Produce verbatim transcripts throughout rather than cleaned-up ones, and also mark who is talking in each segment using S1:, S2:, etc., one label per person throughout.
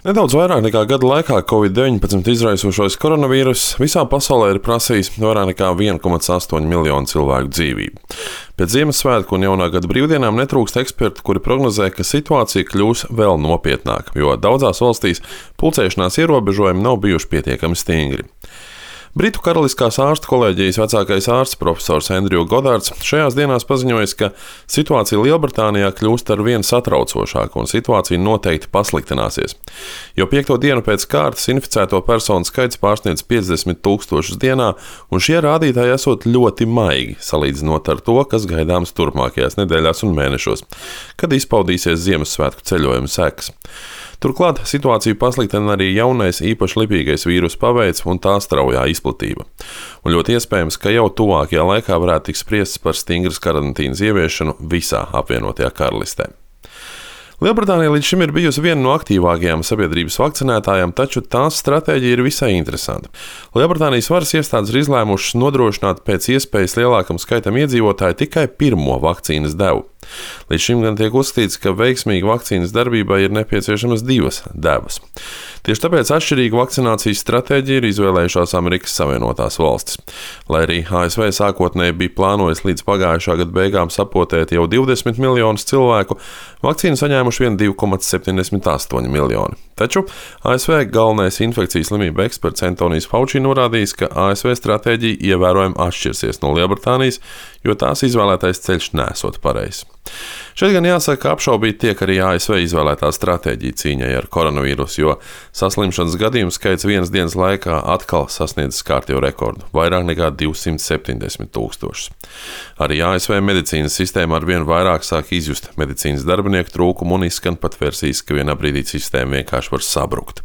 S1: Nedaudz vairāk nekā gada laikā Covid deviņpadsmit izraisošais koronavīruss visā pasaulē ir prasījis vairāk nekā viens komats astoņi miljonu cilvēku dzīvību. Pēc Ziemassvētku un jaunā gada brīvdienām netrūkst ekspertu, kuri prognozē, ka situācija kļūs vēl nopietnāka, jo daudzās valstīs pulcēšanās ierobežojumi nav bijuši pietiekami stingri. Britu Karaliskās ārstu kolēģijas vecākais ārsts profesors Andrew Godards šajās dienās paziņojis, ka situācija Lielbritānijā kļūst ar vien satraucošāka un situācija noteikti pasliktināsies. Jo piekto dienu pēc kārtas inficēto personu skaits pārsniedz piecdesmit tūkstošus dienā, un šie rādītāji esot ļoti maigi, salīdzinot ar to, kas gaidāms turpmākajās nedēļās un mēnešos, kad izpaudīsies Ziemassvētku ceļojuma sekas. Turklāt situāciju pasliktina arī jaunais īpaši lipīgais vīrusu paveids un tā straujā izplatība. Un ļoti iespējams, ka jau tuvākajā laikā varētu tikt spriests par stingras karantīnas ieviešanu visā apvienotajā karalistē. Lielbritānija līdz šim ir bijusi viena no aktīvākajām sabiedrības vakcinētājām, taču tās stratēģija ir visai interesanta. Lielbritānijas varas iestādes ir izlēmušas nodrošināt pēc iespējas lielākam skaitam iedzīvotāju tikai pirmo vakcīnas devu. Līdz šim gan tiek uzskatīts, ka veiksmīga vakcīnas darbībai ir nepieciešamas divas devas. Tieši tāpēc atšķirīgu vakcinācijas stratēģiju ir izvēlējušās Amerikas Savienotās valstis. Lai arī A S V sākotnēji bija plānojis līdz pagājušā gada beigām sapotēt jau divdesmit miljonus cilvēku, vakcīnu saņēmuši vien divi komats septiņdesmit astoņi miljoni. Taču A S V galvenais infekcijas slimību eksperts Antonijs Fauci norādījis, ka A S V stratēģija ievērojami atšķirsies no Lielbritānijas, jo tās izvēlētais ceļš nesot pareizs. Šeit gan jāsaka, ka apšaubīt tiek arī A S V izvēlētā stratēģija cīņai ar koronavīrusu, jo saslimšanas gadījumu skaits vienas dienas laikā atkal sasniedzis kārtējo rekordu – vairāk nekā divsimt septiņdesmit tūkstošus. Arī A S V medicīnas sistēma ar vien vairāk sāk izjust medicīnas darbinieku trūkumu un izskan pat versijas, ka vienā brīdī sistēma vienkārši var sabrukt.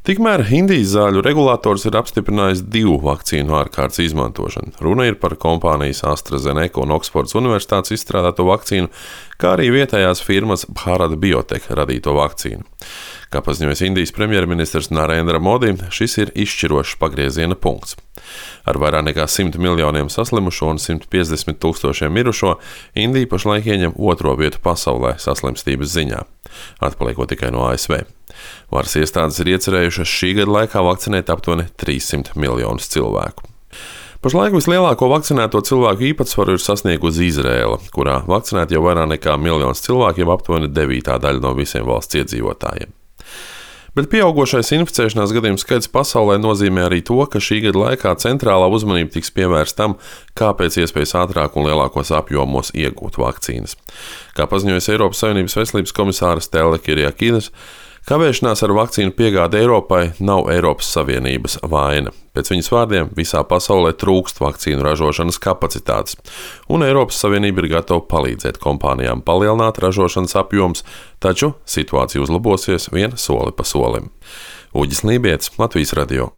S1: Tikmēr Indijas zāļu regulators ir apstiprinājis divu vakcīnu ārkārtas izmantošanu. Runa ir par kompānijas AstraZeneca un Oksfordas universitātes izstrādāto vakcīnu, kā arī vietējās firmas Bharat Biotech radīto vakcīnu. Kā paziņojis Indijas premjerministrs Narendra Modi, šis ir izšķirošs pagrieziena punkts. Ar vairāk nekā simt miljoniem saslimušo un simt piecdesmit tūkstošiem mirušo, Indija pašlaik ieņem otro vietu pasaulē saslimstības ziņā, atpaliekot tikai no A S V. Varas iestādes ir iecerējušas šī gada laikā vakcinēt aptuveni trīssimt miljonus cilvēku. Pašlaik vislielāko vakcinēto cilvēku īpatsvaru ir sasniegusi Izraēla, kurā vakcinēti jau vairāk nekā miljons cilvēku, jau aptuveni devītā daļa no visiem valsts iedzīvotājiem. Bet pieaugošais inficēšanās gadījumu skaits pasaulē nozīmē arī to, ka šī gada laikā centrālā uzmanība tiks pievērsta tam, kā pēc iespējas ātrāk un lielākos apjomos iegūt vakcīnas. Kā paziņojas Eiropas Savienības veselības komisāra Stella Kyriakides, kavēšanās ar vakcīnu piegādi Eiropai nav Eiropas Savienības vaina. Pēc viņas vārdiem visā pasaulē trūkst vakcīnu ražošanas kapacitātes, un Eiropas Savienība ir gatava palīdzēt kompānijām palielināt ražošanas apjoms, taču situācija uzlabosies vien soli pa solim. Uģis Lībietis, Latvijas radio.